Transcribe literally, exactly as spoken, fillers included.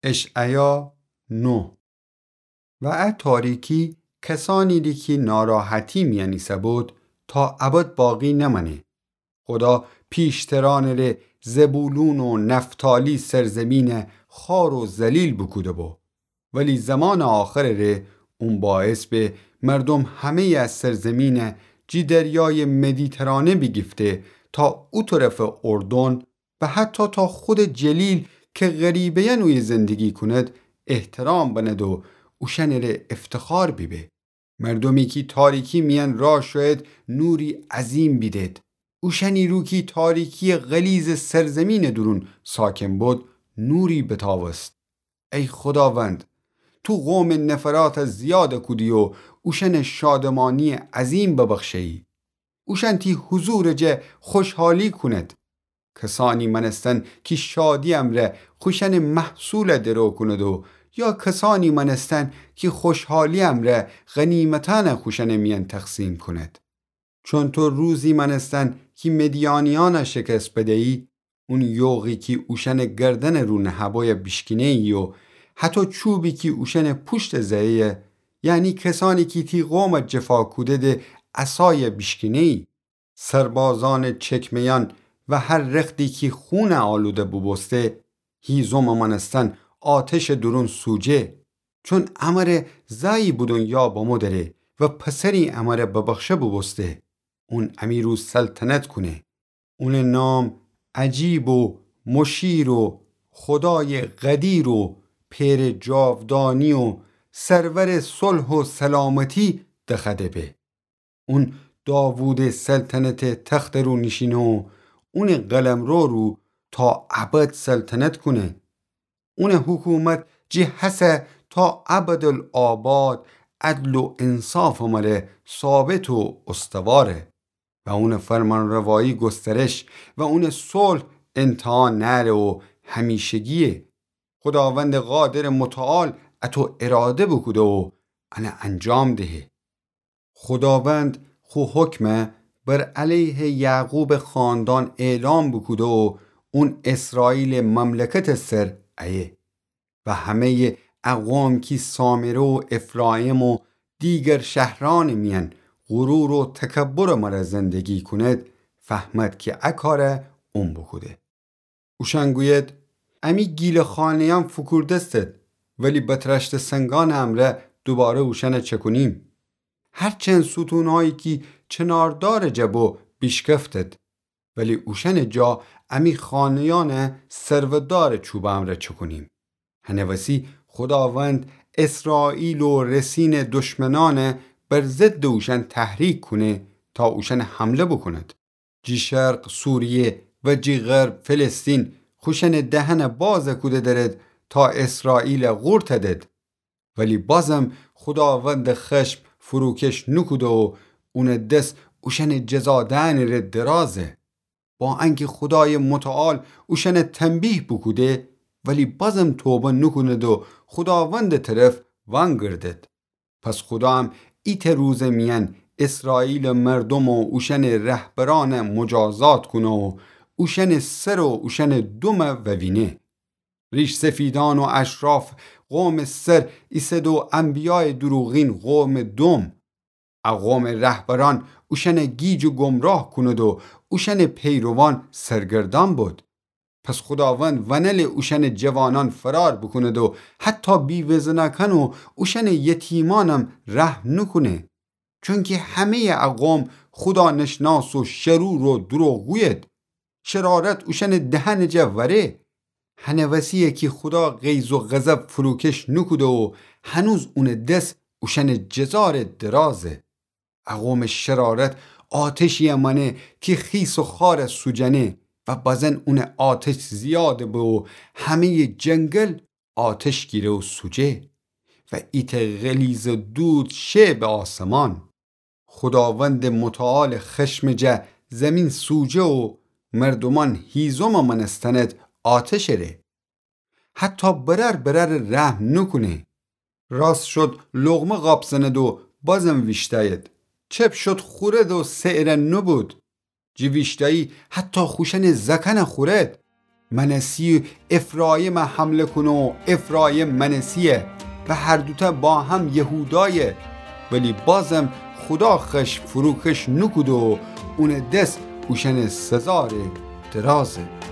اشعیا نه. و ا تاریکی کسأنیدی کی ناراحتی میأن ایسه‌بود، تا ابد باقی نمأنه. خودا پیشترأنٚ ره زبولون و نفتالی سرزمینَ خوار و ذلیل بوکوده‌بو. ولی زمانٚ آخرٚ ره اون باعث به مردوم همه‌یٚ ا سرزمینَ جی دریایٚ مدیترانه بیگیفته تا او طرفٚ اردن و حتی تا خودٚ جلیل کی غریبه‌یأن اویه زندگی کونید، احترام بنید و اوشأنٚ ره افتخار بیبه. مردومی کی تاریکی میأن راه شویید، نوری عظیم بیدید. اوشأنی رو کی تاریکی‌یٚ غلیظٚ سرزمینٚ دورون ساکن بود، نوری بتاوست. ای خوداوند، تو قومٚ نفراتَ زیاد کودی و اوشأنَ شادمانی‌یٚ عظیم ببخشه‌یی. اوشأن تی حضورٚ جا خوشحالی کونید. کسأنی مأنستن کی شادی امرأ خوشأنٚ محصولَ درو کونید و یا کسأنی مأنستن کی خوشحالی امرأ غنیمتأنَ خوشأنٚ میأن تقسیم کونید. چون تو روزی مأنستن کی مدیانیأنَ شکست بده‌یی، اون یوغی کی اوشأنٚ گردنٚ رو نهه‌بویَ بیشکینه‌یی و حتی چوبی کی اوشأنٚ پوشتَ زه‌یی، یعنی کسأنی کی تی قومَ جفا کوده‌ده عصایَ بیشکینه‌یی. سربازأنٚ چکمه‌یأن و هر رختی کی خونَ آلوده بوبوسته، هیزمٚ مأنستن آتشٚ دورون سوجه. چون امره زأیی به دونیا بمو دأره و پسری امره ببخشه بوبوسته. اون امی رو سلطنت کونه. اونٚ نام عجیب و مشیر و خودایٚ قدیر و پئرٚ جاودانی و سرورٚ صلح و سلامتی دخوأده به. اون داوودٚ سلطنتٚ تختٚ رو نیشینه و اونٚ قلمرو رو تا ابد سلطنت کونه. اونٚ حکومت جی هسه تا ابدالآباد عدل و انصافٚ مره ثابت و استواره و اونٚ فرمانروایی گسترش و اونٚ صلح انتها نأره و همیشگیه. خوداوندٚ قادرٚ متعال اطو اراده بوکوده و انَ انجام دهه. خوداوند خو حکمَ بر علیه یعقوبٚ خاندان اعلام بوکوده و اون اسرائیلٚ مملکتٚ سر ایه. و همه‌یٚ ا قوم کی سامره و افراییم و دیگر شهرأنٚ میأن غرور و تکبرٚ مره زندگی کونید، فهمید کی ا کارَ اون بوکوده. اوشأن گوید: امی گیله‌خانه‌یأن فوکورده‌ستید، ولی بتراشته سنگانٚ امرأ دوباره اوشأنَ چکونیم. هرچند ستونهایی کی چناردارٚ جا بو بیشکفتید، ولی اوشأنٚ جا امی خانه‌یأنَ سرودارٚ چوبٚ امرأ چکونیم. هنٚ وسی خوداوند اسرائیل و رسینٚ دشمنأنَ بر ضدٚ اوشأن تحریک کونه تا اوشأنَ حمله بوکوند. جی شرق سوریه و جی غرب فلسطین خوشأنٚ دهنَ باز کوده درید تا اسرائیلَ قورتَ دید. ولی بازم خوداوندٚ خشم فروکش نوکوده و اونٚ دس اوشأنٚ جزا دئنٚ ره درازه. با انکی خودایٚ متعال اوشأنَ تنبیه بوکوده، ولی بازم توبه نوکوند و خوداوندٚ طرف وأنگردد. پس خودام ایتأ روزٚ میأن اسرائیلٚ مردوم و اوشأنٚ رهبرأنَ مجازات کونه و اوشأنٚ سر و اوشأنٚ دومَ ووینه. ریش‌سفیدأن و اشراف قومٚ سر ایسد و انبیایٚ دروغین قومٚ دوم. ا قومٚ رهبرأن اوشأنَ گیج و گمراه کونید و اوشأنٚ پیروان سرگردأن بید. پس خوداوند ونل اوشأنٚ جوانأن فرار بوکوند و حتی بی‌وزنأکأن و اوشأنٚ یتیمأنم رحم نوکونه. چونکی همه‌یٚ ا قوم خودانشناس و شرور و دروغگوید. شرارت اوشأنٚ دهنٚ جا وأره. هنٚ وسی‌یه کی خودا غیظ و غضب فروکش نوکوده و هنوز اونٚ دس اوشأنٚ جزا ره درازه. ا قومٚ شرارت آتشی‌یه مأنه کی خیس و خارَ سوجأنه و بزن اونٚ آتش زیاد به و همه‌یٚ جنگل آتش گیره و سوجه و ایتأ غلیظٚ دود شه به آسمان. خوداوندٚ متعالٚ خشمٚ جا زمین سوجه و مردومأن هیزمٚ مأنستند آتشٚ ره. حتی برأر برأرَ رحم نوکونه. راست شد لقمه قاپ زند و بازم ویشتأید. چپ شد خورد و سئرَ نوبود. جی ویشتأیی حتی خوشأنٚ زأکأنَ خورد. منسی افرایمَ حمله کونه و افرایم منسی‌یه و هر دوتأ با هم یهودایه، ولی بازم خودا خشم فروکش نوکوده و اونٚ دس اوشأنٚ سزا ره درازه.